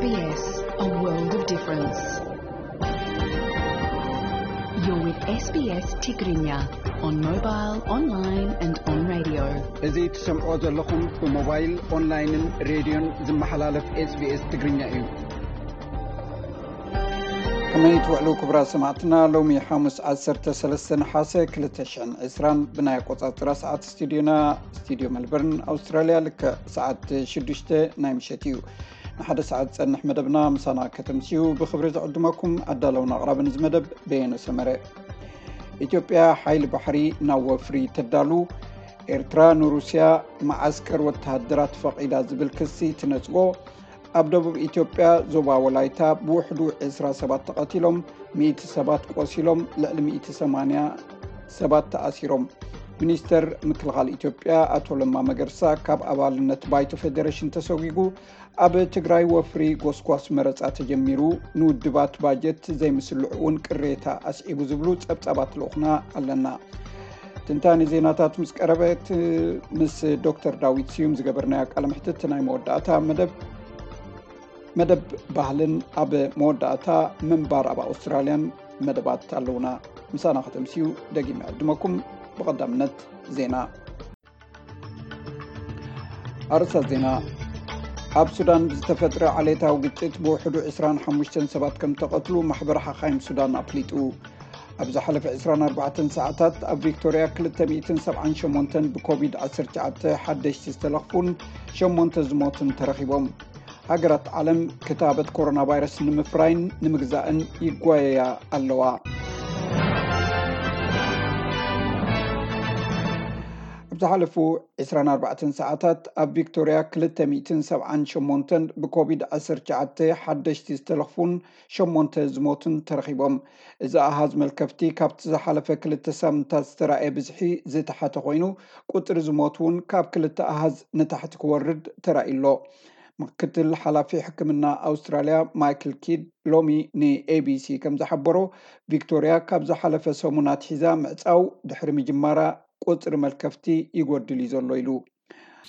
S B S, a world of difference. You're with S B S Tigrinya on mobile, online and on radio. እዚ ትሰምዖ ዘለኹም ብሞባይል፣ ኦንላይንን ሬድዮን ዝመሓላለፍ ኤስቢኤስ ትግርኛ እዩ። ከመይ ትውዕሉ ክቡራት ሰማዕትና? ሎሚ ሓሙስ ዓሰርተ ሰለስተ ነሓሰ ክልተ ሽሕን ዕስራን ብናይ ኣቆጻጽራ ሰዓት ስቱዲዮና፣ ስቱዲዮ መልበርን ኣውስትራልያ፣ ልክዕ ሰዓት ሽዱሽተ ናይ ምሸት እዩ። ንሓደ ሰዓት ዝጸንሕ መደብና ምሳና ከተምስዩ ብኽብሪ ዝዕድመኩም ኣዳለውን ኣቕራብን እዚ መደብ በየነ ሰመረ። ኢትዮጵያ ሓይሊ ባሕሪ ናብ ወፍሪ ተዳሉ። ኤርትራ ንሩስያ መዓስከር ወተሃደራት ፈቒዳ ዝብል ክሲ ትነጽጎ። ኣብ ደቡብ ኢትዮጵያ ዞባ ወላይታ ብውሕዱ ዕስራ ሰባት ተቐቲሎም፣ ሚእቲ ሰባት ቆሲሎም፣ ልዕሊ ሚእቲ ሰማንያ ሰባት ተኣሲሮም። ሚኒስተር ምክልኻል ኢትዮጵያ ኣቶ ለማ መገርሳ ካብ ኣባልነት ባይቶ ፌዴሬሽን ተሰጒጉ። ኣብ ትግራይ ወፍሪ ጎስጓስ መረጻ ተጀሚሩ፣ ንውድባት ባጀት ዘይምስልዑ እውን ቅሬታ ኣስዒቡ ዝብሉ ጸብጻባት ልኡኽና ኣለና። ትንታኔ ዜናታት ምስ ቀረበት ምስ ዶክተር ዳዊት ስዩም ዝገበርናዮ ቃለ መሕትት ናይ መወዳእታ መደብ፣ መደብ ባህልን ኣብ መወዳእታ ምንባር ኣብ ኣውስትራልያን መደባት ኣለውና። ምሳና ከተምስዩ ደጊም ይዕድመኩም። ብቐዳምነት ዜና። ኣርእስታት ዜና። ኣብ ሱዳን ብዝተፈጥረ ዓሌታዊ ግጭት ብውሕዱ ዕስራን ሓሙሽተን ሰባት ከም ተቐትሉ ማሕበር ሓኻይም ሱዳን ኣፍሊጡ። ኣብ ዝሓለፈ ዕስራን ኣርባዕተን ሰዓታት ኣብ ቪክቶርያ ክልተ ሚእትን ሰብዓን ሸሞንተን ብኮቪድ ዓሰርተ ትሽዓተ ሓደሽቲ ዝተለኽፉን ሸሞንተ ዝሞቱን ተረኺቦም። ሃገራት ዓለም ክታበት ኮሮና ቫይረስ ንምፍራይን ንምግዛእን ይጓየያ ኣለዋ። ኣብ ዝሓለፉ ዕስራን ኣርባዕተን ሰዓታት ኣብ ቪክቶርያ ክልተ ሚእትን ሰብዓን ሸሞንተን ብኮቪድ ዓሰርተ ትሽዓተ ሓደሽቲ ዝተለኽፉን ሸሞንተ ዝሞቱን ተረኺቦም። እዚ ኣሃዝ መልከፍቲ ካብቲ ዝሓለፈ ክልተ ሳምንታት ዝተራእየ ብዝሒ ዝተሓተ ኮይኑ፣ ቁጽሪ ዝሞት እውን ካብ ክልተ ኣሃዝ ንታሕቲ ክወርድ ተራእዩ ኣሎ። ምክትል ሓላፊ ሕክምና ኣውስትራልያ ማይክል ኪድ ሎሚ ንኤቢሲ ከም ዝሓበሮ፣ ቪክቶርያ ካብ ዝሓለፈ ሰሙን ኣትሒዛ ምዕጻው ድሕሪ ምጅማራ ቁጽሪ መልከፍቲ ይጎድል እዩ ዘሎ ኢሉ።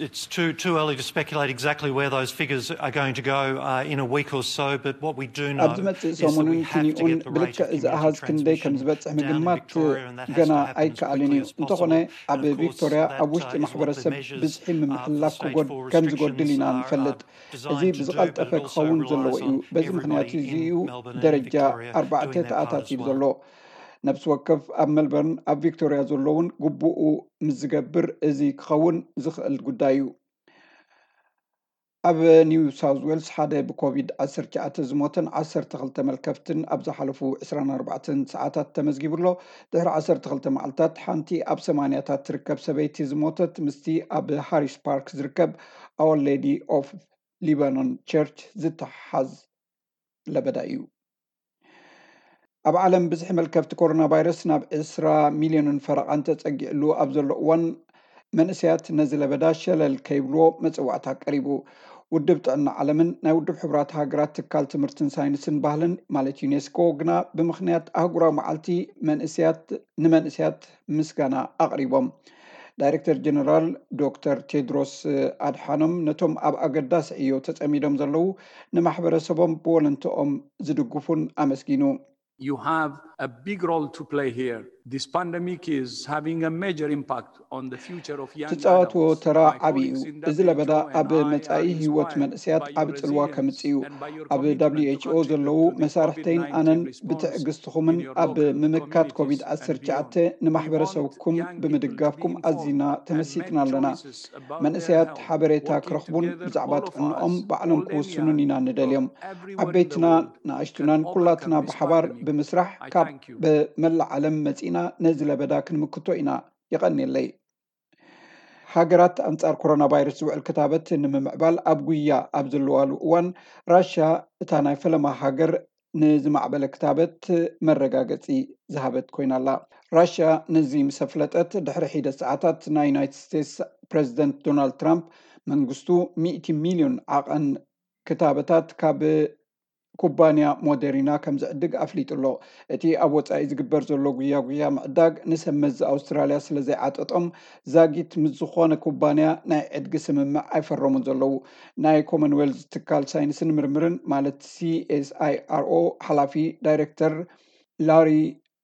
It's too, too early to speculate exactly where those figures are going to go, uh, in a week or so, but what we do know ኣብዚ መጽእ is that ሰሙንን we have to ክኒኡን get the rate ብልክዕ of እዚ ኣሃዝ community ክንደይ ከም transmission ዝበጽሕ down in ምግማት Victoria, and that has ገና to happen as ኣይከኣልን quickly እዩ። As እንተኾነ፣ possible. ኣብ And of course, ቪክቶርያ that, ኣብ ውሽጢ uh, is what the ማሕበረሰብ measures, ብዝሒ uh, for ምምሕልላፍ stage ክጎድ-፣ four ከም ዝጎድል restrictions ኢና are, uh, ንፈልጥ። እዚ designed to do, ብዝቐልጠፈ but it also ክኸውን relies ዘለዎ እዩ። On በዚ ምኽንያት everybody እዚ in እዩ Melbourne and ደረጃ Victoria ኣርባዕተ doing their part ተኣታትዩ of ዘሎ። ነፍሲ ወከፍ ኣብ መልበርን ኣብ ቪክቶርያ ዘሎ እውን ግቡኡ ምስ ዝገብር፣ እዚ ክኸውን ዝኽእል ጉዳይ እዩ። ኣብ ኒው ሳውዝ ዌልስ ሓደ ብኮቪድ ዓሰርተ ትሽዓተ ዝሞተን ዓሰርተ ክልተ መልከፍትን ኣብ ዝሓለፉ ዕስራን ኣርባዕተን ሰዓታት ተመዝጊቡ ኣሎ። ድሕሪ ዓሰርተ ክልተ መዓልታት ሓንቲ ኣብ ሰማንያታት ትርከብ ሰበይቲ ዝሞተት ምስቲ ኣብ ሃሪስ ፓርክ ዝርከብ Our Lady of Lebanon Church ዝተሓሓዝ ለበዳ እዩ። ኣብ ዓለም ብዝሒ መልከፍቲ ኮሮና ቫይረስ ናብ ዕስራ ሚልዮንን ፈረቓን ተጸጊዕሉ ኣብ ዘሎ እዋን፣ መንእሰያት ነዚ ለበዳ ሸለል ከይብልዎ መጽዋዕታ ቀሪቡ። ውድብ ጥዕና ዓለምን ናይ ውድብ ሕቡራት ሃገራት ትካል ትምህርትን ሳይንስን ባህልን፣ ማለት ዩኔስኮ፣ ግና ብምኽንያት ኣህጉራዊ መዓልቲ መንእሰያት፣ ንመንእሰያት ምስጋና ኣቕሪቦም። ዳይሬክተር ጀነራል ዶክተር ቴድሮስ ኣድሓኖም ነቶም ኣብ ኣገዳሲ ዕዮ ተጸሚዶም ዘለዉ ንማሕበረሰቦም ብወለንትኦም ዝድግፉን ኣመስጊኑ። You have a big role to play here. This pandemic is having a major impact on the future of young ትጻወትዎ adults. ተራ My ዓቢ እዩ። colleagues in እዚ ለበዳ W H O and ኣብ I መጻኢ are ህይወት inspired መንእሰያት by your ዓቢ ጽልዋ resilience ከምጽእ እዩ። And by your ኣብ commitment to ደብሊው ኤች ኦ contribute ዘለዉ to the መሳርሕተይን COVID nineteen ኣነን response ብትዕግስትኹምን in your ኣብ local ምምካት communities ኮቪድ and ዓሰርተ ትሽዓተ beyond. We ንማሕበረሰብኩም want young people to ብምድጋፍኩም be ኣዚና informed and ተመሲጥና make ኣለና። Choices about their መንእሰያት health, ሓበሬታ working ክረኽቡን together, ብዛዕባ all of ጥዕንኦም us, ባዕሎም all the ክውስኑን young ኢና ንደልዮም። People, everyone in the ዓበይትና world ንኣሽቱናን can ኩላትና overcome this ብሓባር pandemic. ብምስራሕ I ካብ thank you. ብመላእ ዓለም መጺእና ነዚ ለበዳ ክንምክቶ ኢና። የቐንየለይ። ሃገራት ኣንጻር ኮሮና ቫይረስ ዝውዕል ክታበት ንምምዕባል ኣብ ጉያ ኣብ ዘለዋሉ እዋን፣ ራሽያ እታ ናይ ፈለማ ሃገር ንዝማዕበለ ክታበት መረጋገጺ ዝሃበት ኮይና ኣላ። ራሽያ ነዚ ምስ ኣፍለጠት ድሕሪ ሒደት ሰዓታት፣ ናይ ዩናይትድ ስቴትስ ፕረዚደንት ዶናልድ ትራምፕ መንግስቱ ሚእቲ ሚልዮን ዓቐን ክታበታት ካብ ኩባንያ ሞደሪና ከም ዝዕድግ ኣፍሊጡ ኣሎ። እቲ ኣብ ወጻኢ ዝግበር ዘሎ ጉያ ጉያ ምዕዳግ ንሰብ መዚ ኣውስትራልያ ስለ ዘይዓጠጦም፣ ዛጊት ምስ ዝኾነ ኩባንያ ናይ ዕድጊ ስምምዕ ኣይፈረሙን ዘለዉ። ናይ ኮመንዌልዝ ትካል ሳይንስን ምርምርን ማለት ሲኤስኣይኣርኦ ሓላፊ ዳይሬክተር ላሪ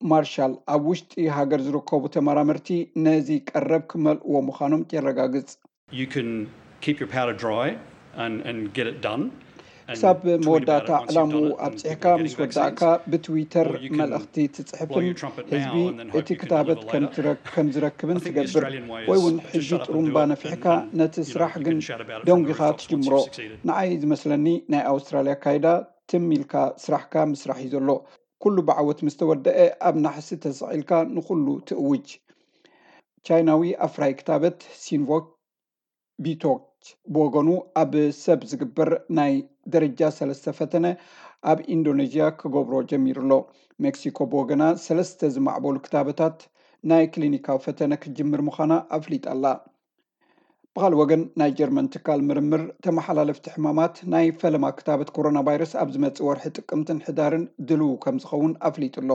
ማርሻል፣ ኣብ ውሽጢ ሃገር ዝርከቡ ተመራመርቲ ነዚ ቀረብ ክመልእዎ ምዃኖም የረጋግጽ። You can keep your powder dry and, and get it done. ክሳብ መወዳእታ ዕላምኡ ኣብፅሕካ ምስ ወዳእካ ብትዊተር መልእኽቲ ትፅሕፍን ህዝቢ እቲ ክታበት ከም ዝረክብን ትገብር፣ ወይ እውን ሕጂ ጥሩምባ ነፊሕካ ነቲ ስራሕ ግን ደንጒኻ ትጅምሮ። ንዓይ ዝመስለኒ ናይ ኣውስትራልያ ኣካይዳ ትም ኢልካ ስራሕካ ምስራሕ እዩ ዘሎ። ኩሉ ብዓወት ምስ ተወደአ ኣብ ናሕሲ ተሰቒልካ ንኹሉ ትእውጅ። ቻይናዊ ኣፍራይ ክታበት ሲንቮክ ቢቶች ብወገኑ ኣብ ሰብ ዝግበር ናይ ደረጃ ሰለስተ ፈተነ ኣብ ኢንዶኔዥያ ክገብሮ ጀሚሩ ኣሎ። ሜክሲኮ ብወገና ሰለስተ ዝማዕበሉ ክታበታት ናይ ክሊኒካዊ ፈተነ ክትጅምር ምዃና ኣፍሊጣ ኣላ። ብኻልእ ወገን ናይ ጀርመን ትካል ምርምር ተመሓላለፍቲ ሕማማት ናይ ፈለማ ክታበት ኮሮና ቫይረስ ኣብ ዝመጽእ ወርሒ ጥቅምትን ሕዳርን ድልው ከም ዝኸውን ኣፍሊጡ ኣሎ።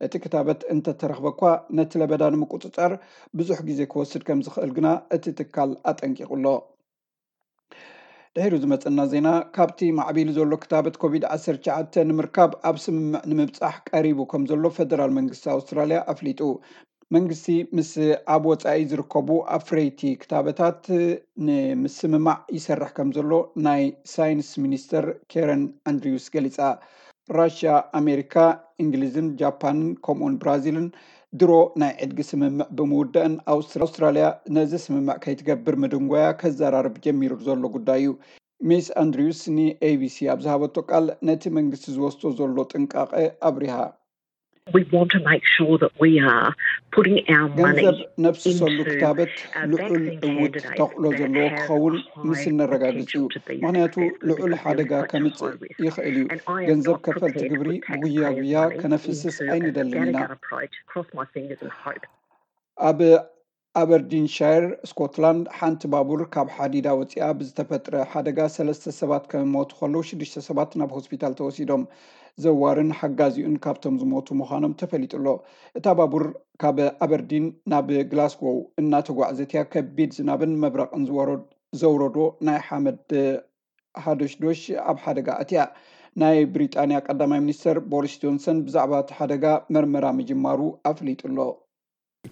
እቲ ክታበት እንተተረኽበ እኳ ነቲ ለበዳ ንምቁጽጻር ብዙሕ ግዜ ክወስድ ከም ዝኽእል ግና እቲ ትካል ኣጠንቂቑ ኣሎ። ድሒሩ ዝመጸና ዜና፣ ካብቲ ማዕቢሉ ዘሎ ክታበት ኮቪድ ዓሰርተ ትሽዓተ ንምርካብ ኣብ ስምምዕ ንምብጻሕ ቀሪቡ ከም ዘሎ ፈደራል መንግስቲ ኣውስትራልያ ኣፍሊጡ። መንግስቲ ምስ ኣብ ወጻኢ ዝርከቡ ኣፍረይቲ ክታበታት ንምስምማዕ ይሰርሕ ከም ዘሎ ናይ ሳይንስ ሚኒስተር ኬረን ኣንድሪውስ ገሊጻ። ራሽያ፣ ኣሜሪካ፣ እንግሊዝን ጃፓንን ከምኡውን ብራዚልን ድሮ ናይ ዕድጊ ስምምዕ ብምውዳእን ኣውስትራልያ ነዚ ስምምዕ ከይትገብር ምድንጓያ ከዘራርብ ጀሚሩ ዘሎ ጉዳይ እዩ። ሚስ ኣንድሪውስ ን ኤቢሲ ኣብ ዝሃበቶ ቃል ነቲ መንግስቲ ዝወስዶ ዘሎ ጥንቃቐ ኣብሪሃ። We want to make sure that we are putting our money ገንዘብ ነፍስሰሉ ክታበት ልዑል እውት ተኽእሎ ዘለዎ ክኸውን ምስ እነረጋግጽ እዩ። ምኽንያቱ ልዑል ሓደጋ ከምጽእ ይኽእል እዩ። ገንዘብ ከፈልቲ ግብሪ ብጉያ ጉያ ከነፍስስ ኣይንደልን ኢና። ኣብ ኣበርዲንሻየር ስኮትላንድ ሓንቲ ባቡር ካብ ሓዲዳ ወፂኣ ብዝተፈጥረ ሓደጋ ሰለስተ ሰባት ከም ሞቱ ከለዉ ሽዱሽተ ሰባት ናብ ሆስፒታል ተወሲዶም። ዘዋርን ሓጋዚኡን ካብቶም ዝሞቱ ምዃኖም ተፈሊጡ ኣሎ። እታ ባቡር ካብ ኣበርዲን ናብ ግላስጎው እናተጓዕዘት እያ ከቢድ ዝናብን መብረቕን ዘውረዶ ናይ ሓመድ ሃዶሽዶሽ ኣብ ሓደጋ ኣትያ። ናይ ብሪጣንያ ቀዳማይ ሚኒስተር ቦሪስ ጆንሰን ብዛዕባ እቲ ሓደጋ መርመራ ምጅማሩ ኣፍሊጡ ኣሎ።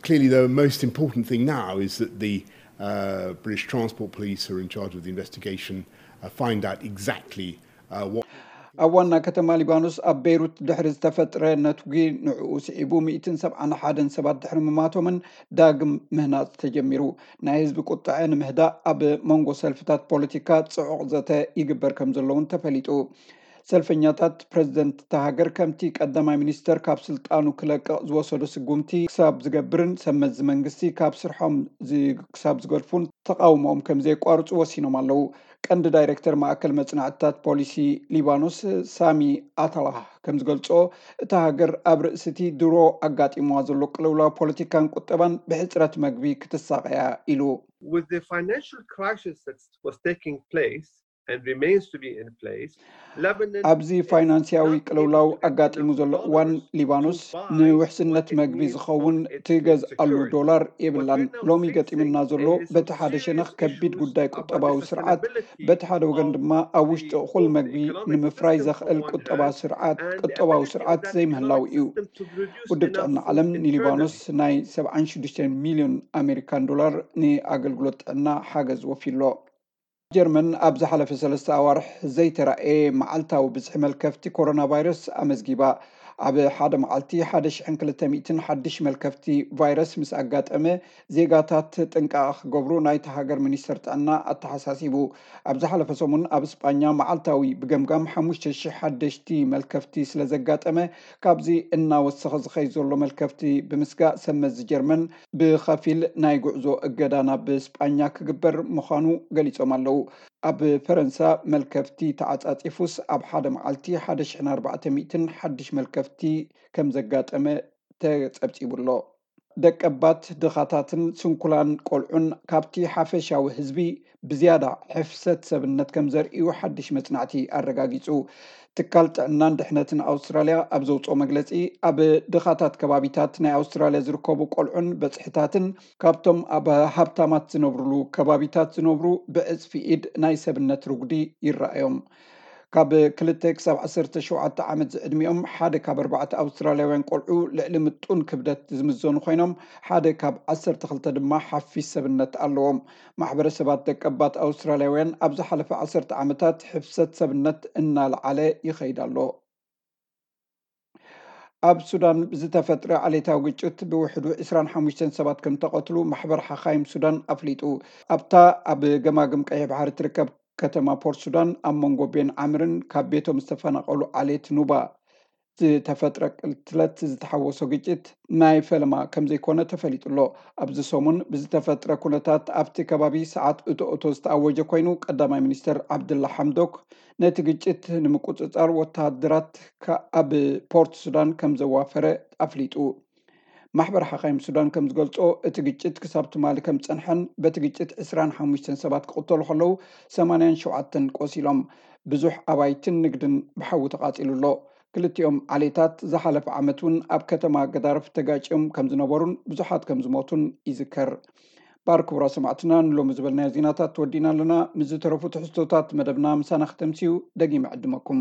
Clearly, the most important thing now is that the uh, British Transport Police, who are in charge of the investigation, uh, find out exactly uh, what. ኣብ ዋና ከተማ ሊባኖስ ኣብ ቤይሩት ድሕሪ ዝተፈጥረ ነትጒ ንዕኡ ስዒቡ ሚእትን ሰብዓን ሓደን ሰባት ድሕሪ ምማቶምን ዳግም ምህናፅ ተጀሚሩ። ናይ ህዝቢ ቁጥዐ ንምህዳእ ኣብ መንጎ ሰልፍታት ፖለቲካ ፅዑቕ ዘተ ይግበር ከም ዘለውን ተፈሊጡ። ሰልፈኛታት ፕረዚደንት እታ ሃገር ከምቲ ቀዳማይ ሚኒስተር ካብ ስልጣኑ ክለቅቕ ዝወሰዶ ስጉምቲ ክሳብ ዝገብርን ሰብ መዚ መንግስቲ ካብ ስርሖም ክሳብ ዝገድፉን ተቃውሞኦም ከም ዘየቋርፁ ወሲኖም ኣለዉ። ቀንዲ ዳይሬክተር ማእከል መጽናዕትታት ፖሊሲ ሊባኖስ ሳሚ ኣታላህ ከም ዝገልጾ፣ እታ ሃገር ኣብ ርእሲ እቲ ድሮ ኣጋጢምዋ ዘሎ ቅልውላው ፖለቲካን ቁጠባን ብሕጽረት መግቢ ክትሳቐያ ኢሉ። With the financial crisis that was taking place and remains to be in place, Lebanon ኣብዚ ፋይናንስያዊ ቅልውላው ኣጋጢሙ ዘሎ እዋን ሊባኖስ ንውሕስነት መግቢ ዝኸውን ትገዝኣሉ ዶላር የብላን። ሎሚ ገጢምና ዘሎ በቲ ሓደ ሸነኽ ከቢድ ጉዳይ ቁጠባዊ ስርዓት፣ በቲ ሓደ ወገን ድማ ኣብ ውሽጢ እኹል መግቢ ንምፍራይ ዘኽእል ቁጠባ ስርዓት ቁጠባዊ ስርዓት ዘይምህላው እዩ። ውድብ ጥዕና ዓለም ንሊባኖስ ናይ ሰብዓን ሽዱሽተን ሚልዮን ኣሜሪካን ዶላር ንኣገልግሎት ጥዕና ሓገዝ ወፊሎ። ጀርመን ኣብ ዝሓለፈ ሰለስተ ኣዋርሕ ዘይተራእየ መዓልታዊ ብዝሒ መልከፍቲ ኮሮና ቫይረስ ኣመዝጊባ። ኣብ ሓደ መዓልቲ ሓደ ሽሕን ክልተ ሚእትን ሓድሽ መልከፍቲ ቫይረስ ምስ ኣጋጠመ፣ ዜጋታት ጥንቃቐ ክገብሩ ናይቲ ሃገር ሚኒስተር ጥዕና ኣተሓሳሲቡ። ኣብ ዝሓለፈ ሰሙን ኣብ ስጳኛ መዓልታዊ ብገምጋም ሓሙሽተ ሽሕ ሓደሽቲ መልከፍቲ ስለ ዘጋጠመ፣ ካብዚ እናወሰኸ ዝኸይድ ዘሎ መልከፍቲ ብምስጋእ፣ ሰብ መዚ ጀርመን ብኸፊል ናይ ጉዕዞ እገዳ ናብ ስጳኛ ክግበር ምዃኑ ገሊጾም ኣለዉ። ኣብ ፈረንሳ መልከፍቲ ተዓጻጺፉስ ኣብ ሓደ መዓልቲ ሓደ ሽሕን ኣርባዕተ ሚእትን ሓድሽ መልከፍቲ ከም ዘጋጠመ ተጸብጺቡ ኣሎ። ደቀባት ድኻታትን ስንኩላን ቆልዑን ካብቲ ሓፈሻዊ ህዝቢ ብዝያዳ ሕፍሰት ሰብነት ከም ዘርእዩ ሓድሽ መጽናዕቲ ኣረጋጊጹ። ትካል ጥዕናን ድሕነትን ኣውስትራልያ ኣብ ዘውፅኦ መግለፂ፣ ኣብ ድኻታት ከባቢታት ናይ ኣውስትራልያ ዝርከቡ ቆልዑን በፅሕታትን ካብቶም ኣብ ሃብታማት ዝነብሩሉ ከባቢታት ዝነብሩ ብዕፅፊ ኢድ ናይ ሰብነት ርጉዲ ይረኣዮም። ካብ ክልተ ክሳብ ዓሰርተ ሸውዓተ ዓመት ዝዕድሚኦም ሓደ ካብ ኣርባዕተ ኣውስትራልያውያን ቆልዑ ልዕሊ ምጡን ክብደት ዝምዘኑ ኮይኖም፣ ሓደ ካብ ዓሰርተ ክልተ ድማ ሓፊስ ሰብነት ኣለዎም። ማሕበረሰባት ደቀባት ኣውስትራልያውያን ኣብ ዝሓለፈ ዓሰርተ ዓመታት ሕፍሰት ሰብነት እናለዓለ ይኸይድ ኣሎ። ኣብ ሱዳን ብዝተፈጥረ ዓሌታዊ ግጭት ብውሕዱ ዕስራን ሓሙሽተን ሰባት ከም ተቐትሉ ማሕበር ሓኻይም ሱዳን ኣፍሊጡ። ኣብታ ኣብ ገማግም ቀይሕ ባሕሪ ትርከብ ከተማ ፖርት ሱዳን ኣብ መንጎ ቤን ዓምርን ካብ ቤቶም ዝተፈናቐሉ ዓሌት ኑባ ዝተፈጥረ ቅትለት ዝተሓወሶ ግጭት ናይ ፈለማ ከም ዘይኮነ ተፈሊጡ ኣሎ። ኣብዚ ሰሙን ብዝተፈጥረ ኩነታት ኣብቲ ከባቢ ሰዓት እቶ እቶ ዝተኣወጀ ኮይኑ፣ ቀዳማይ ሚኒስተር ዓብድላ ሓምዶክ ነቲ ግጭት ንምቁጽጻር ወተሃደራት ከ-፣ ኣብ ፖርት ሱዳን ከም ዘዋፈረ ኣፍሊጡ። ማሕበር ሓኻይም ሱዳን ከም ዝገልጾ፣ እቲ ግጭት ክሳብ ትማሊ ከም ዝጸንሐን በቲ ግጭት ዕስራን ሓሙሽተን ሰባት ክቕተሉ ከለዉ፣ ሰማንያን ሸውዓተን ቆሲሎም፣ ብዙሕ ኣባይትን ንግድን ብሓዊ ተቓጺሉ ኣሎ። ክልቲኦም ዓሌታት ዝሓለፈ ዓመት እውን ኣብ ከተማ ገዳርፍ ተጋጭዮም ከም ዝነበሩን ብዙሓት ከም ዝሞቱን ይዝከር። ባር ክቡራ ሰማዕትና፣ ንሎሚ ዝበልናዮ ዜናታት ወዲና ኣለና። ምስ ዝተረፉ ትሕዝቶታት መደብና ምሳና ክተምስዩ ደጊመ ዕድመኩም።